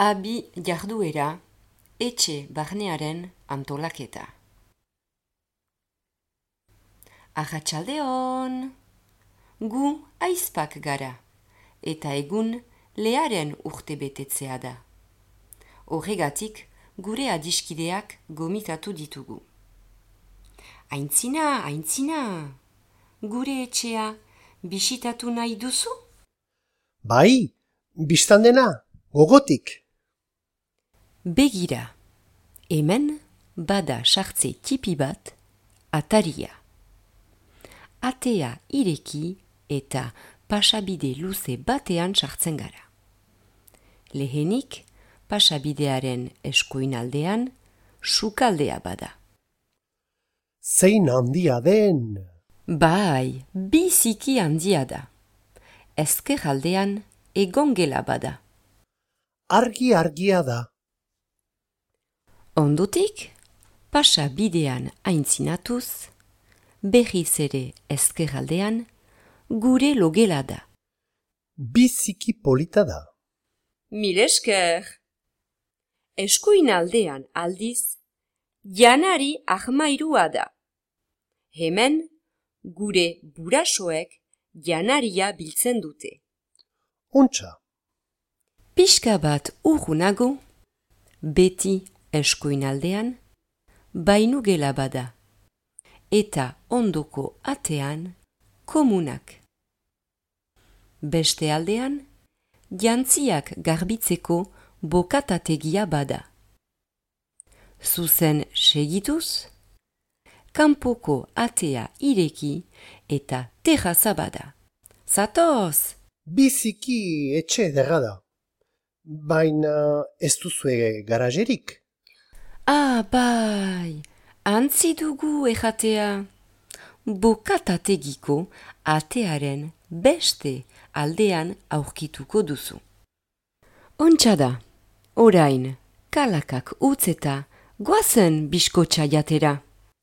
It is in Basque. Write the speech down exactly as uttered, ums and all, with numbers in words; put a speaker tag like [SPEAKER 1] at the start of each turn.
[SPEAKER 1] Abi jarduera, etxe barnearen antolaketa. Arratsaldeon! Gu aizpak gara, eta egun learen urte betetzea da. Horregatik, gure adiskideak gomitatu ditugu. Aintzina, aintzina! Gure etxea bisitatu nahi duzu?
[SPEAKER 2] Bai, biztandena, gogotik.
[SPEAKER 1] Begira, hemen bada sartze tipi bat, ataria. Atea ireki eta pasabide luze batean sartzen gara. Lehenik, pasabidearen eskuinaldean, sukaldea bada.
[SPEAKER 2] Zein handia den!
[SPEAKER 1] Bai, biziki handia da. Ezker aldean egongela bada.
[SPEAKER 2] Argi argia da.
[SPEAKER 1] Ondotik, pasabidean aintzinatuz, berriz ere ezker aldean, gure logela da.
[SPEAKER 2] Biziki polita da.
[SPEAKER 1] Mil esker! Eskuin aldean aldiz, janari ahmairua da. Hemen, gure burasoek janaria biltzen dute.
[SPEAKER 2] Ontsa.
[SPEAKER 1] Pixka bat urrunago, beti eskuin aldean, bainugela bada. Eta ondoko atean, komunak. Beste aldean, jantziak garbitzeko bokatategia bada. Zuzen segituz, kanpoko atea ireki eta terraza bada. Zatoz!
[SPEAKER 2] Biziki etxe ederra da. Baina ez duzue garajerik.
[SPEAKER 1] Ah, bai! Antzi dugu erratea. Bokatategiko atearen beste aldean aurkituko duzu. Ontsa da, orain, kalakak utzeta, goazen biskotxa jatera.